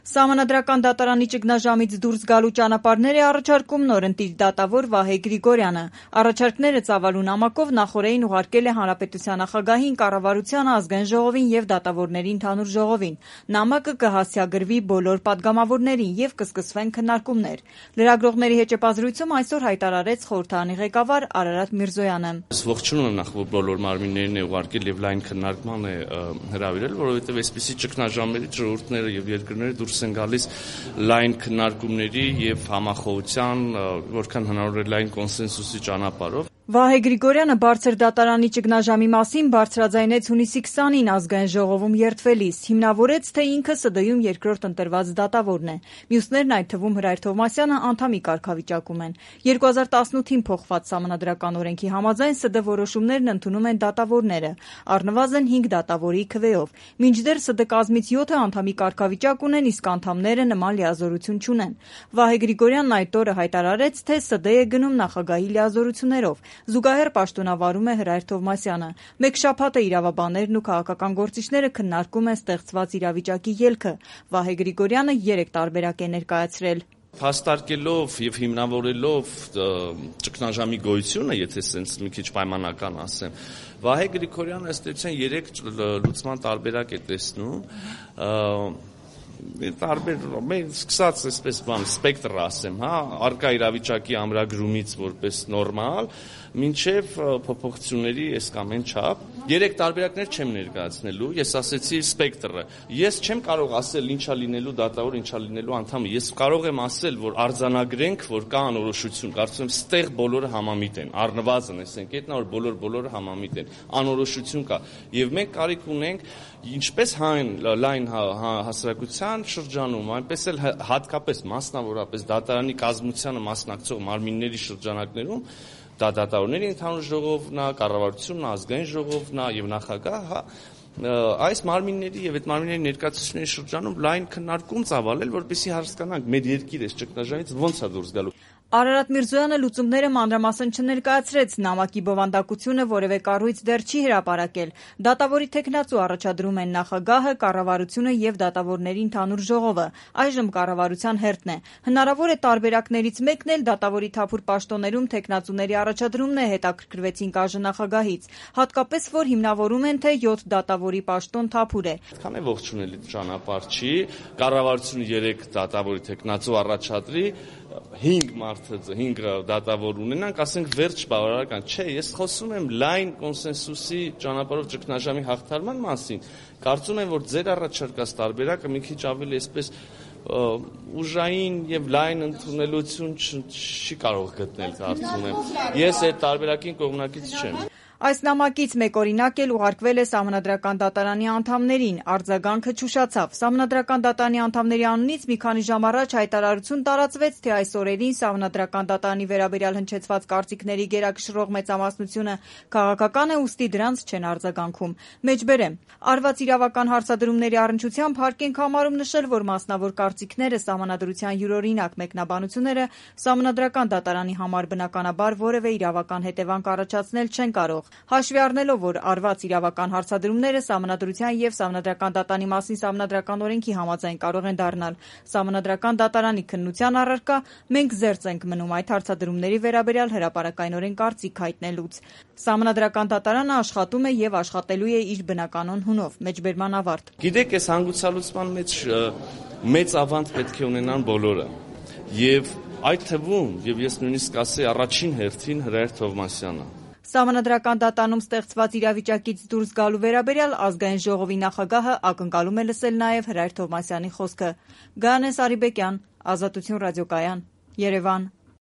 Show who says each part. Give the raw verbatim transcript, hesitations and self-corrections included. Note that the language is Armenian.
Speaker 1: Սահմանադրական դատարանի ճգնաժամից դուրս գալու ճանապարհներ է առաջարկում նորընտիր դատավոր Վահե Գրիգորյանը։ Առաջարկները ծավալու նամակով նախօրեին ուղարկել է Հանրապետության նախագահին, կառավարությանը, Ազգային ժողովին եւ դատավորների ընդհանուր ժողովին։ Նամակը կհասցեագրվի բոլոր պատգամավորներին եւ կսկսվեն քննարկումներ։ Լրագրողների հետ այսօր հայտարարեց խորհրդարանի ղեկավար Արարատ Միրզոյանը։
Speaker 2: Ողջունում եմ նախ բոլոր մարմիններին է ուղարկել եւ լայն քննարկման է հրավիրել, որովհետեւ այսպիսի ճգնաժամերից ժողովուրդները եւ երկրները դուրս են գալիս լայն քննարկումների եւ համախոհության, որքան հնարավոր է լայն կոնսենսուսի ճանապարհով։
Speaker 1: Վահե Գրիգորյանը բարձր դատարանի ճգնաժամի մասին բարձրաձայնեց հունիսի քսանին Ազգային ժողովում երդվելիս, հիմնավորեց, թե ինքը ՍԴ-ում երկրորդ ընտրված դատավորն է։ Մյուսներն, այդ թվում Հրայր Թովմասյանը, անդամի կարգավիճակում են։ երկու հազար տասնութին փոխված Սահմանադրական օրենքի համաձայն ՍԴ որոշումներն ընդունում են դատավորները, առնվազն հինգ դատավորի քվեով։ Մինչդեռ ՍԴ կազմից յոթը անդամի կարգավիճակ ունեն, իսկ անդամները նման լիազորություն չունեն։ Վահե Գրիգորյանն այդ օրը հայտարարեց, թե ՍԴ է գնում նախագահի լիազորություններով։ Զուգահեռ պաշտոնավարում է Հրայր Թովմասյանը։ Մեկ շաբաթ է իրավաբաններն ու քաղաքական գործիչները քննարկում են ստեղծված իրավիճակի ելքը։ Վահե Գրիգորյանը երեք տարբերակ է ներկայացրել։
Speaker 2: Փաստարկելով եւ հիմնավորելով ճգնաժամի գոյությունը, եթե սենց մի քիչ պայմանական ասեմ, Վահե Գրիգորյանը ըստ էության երեք լուծման տարբերակ է տեսնում։ Տարբեր մենք սկսած այսպես բան սպեկտր ասեմ, հա, արկա իրավիճակի ամրագրումից որպես նորմալ, մինչև փոփոխությունների այս կամ այն չափ։ Երեք տարբերակներ չեմ ներկայացնելու, ես ասեցի սպեկտրը։ Ես չեմ կարող ասել ինչա լինելու դատավոր, ինչա լինելու անդամը։ Ես կարող եմ ասել, որ արձանագրենք, որ կա անորոշություն։ Կարծում եմ, ստեղ բոլորը համամիտ են։ Առնվազն այս ընկետն որ բոլոր բոլորը համամիտ են։ Անորոշություն կա։ Եվ մենք կարիք ունենք ինչպես հայն լայն հասարակության շրջանում, այնպես էլ հատկապես մասնավորապես դատարանի կազմությանը մասնակցող մարմինների շրջանակներում, դա դատավորների ընդհանուր ժողովն է, կառավարությունն է, Ազգային ժողովն է եւ նախագահը, այս մարմինների եւ այդ մարմինների ներկայացուցիչների շրջանում լայն քննարկում ծավալել, որպեսզի հասկանանք մեր երկիրը այս ճգնաժամից ոնց է դուրս գալու։
Speaker 1: Արարատ Միրզոյանը լուծումները մանրամասն չներկայացրեց, նամակի բովանդակությունը որևէ կառույց դեռ չի հրապարակել։ Դատավորի թեկնածու առաջադրում են նախագահը, կառավարությունը եւ դատավորների ընդհանուր ժողովը, այժմ կառավարության հերթն է։ Հնարավոր է տարբերակներից մեկն էլ դատավորի թափուր պաշտոններում թեկնածուների առաջադրումն է, հետաքրքրվեցին ԿԱԺ նախագահից, հատկապես որ հիմնավորում են, թե յոթ դատավորի պաշտոն թափուր է։
Speaker 2: Քան է ողջունելի ճանապարհ չի, կառավարությունը երեք դատավորի թեկնածու առաջադրի, հինգ մարդը, հինգ դատավոր ունենանք, ասենք վերջ բավարարական չէ, ես խոսում եմ լայն կոնսենսուսի ճանապարհով ճգնաժամի հաղթարման մասին։ Կարծում եմ, որ ձեր առաջարկած տարբերակը մի քիչ ավելի այսպես ուժային եւ լայն ընդունելություն չի կարող գտնել, կարծում եմ։ Ես այդ տարբերակին կողմնակից չեմ։
Speaker 1: Այս նամակից մեկ օրինակ էլ ուղարկվել է Սահմանադրական դատարանի անդամներին, արձագանքը չուշացավ։ Սահմանադրական դատարանի անդամների անունից մի քանի ժամ առաջ հայտարարություն տարածվեց, թե այս օրերին Սահմանադրական դատարանի վերաբերյալ հնչեցված կարծիքների գերակշռող մեծամասնությունը քաղաքական է, ուստի դրանց չեն արձագանքում։ Մեջբերեմ, արված իրավական հարցադրումների առնչությամբ հարկ ենք համարում նշել, որ մասնավոր կարծիքները, Սահմանադրության յուրօրինակ մեկնաբանությունները Սահմանադրական դատարանի համար բնականաբար որևէ իրավական հետևանք առաջացնել չեն կարող։ Հաշվի առնելով, որ արված իրավական հարցադրումները Սահմանադրության եւ Սահմանադրական դատարանի մասին Սահմանադրական օրենքի համաձայն կարող են դառնալ Սահմանադրական դատարանի քննության առարկա, մենք զերծ ենք մնում այդ հարցադրումների վերաբերյալ հրապարակայնորեն կարծիք հայտնելուց։ Սահմանադրական դատարանը աշխատում է եւ աշխատելու է իր բնականon հունով։ Մեջբերման ավարտ։
Speaker 2: Գիտեք, այս հանգուցալուծման մեջ մեծ ավանդ պետք է ունենան բոլորը։ Եվ այդ թվում, եւ ես նույնիսկ ասեի առաջին հերթին Հրայր Թովմասյանը։
Speaker 1: Սահմանադրական դատարանում ստեղծված իրավիճակից դուրս գալու վերաբերյալ Ազգային ժողովի նախագահը ակնկալում է լսել նաև Հրայր Թովմասյանի խոսքը։ Գայանե Սարիբեկյան, Ազատություն ռադիոկայան, Երևան։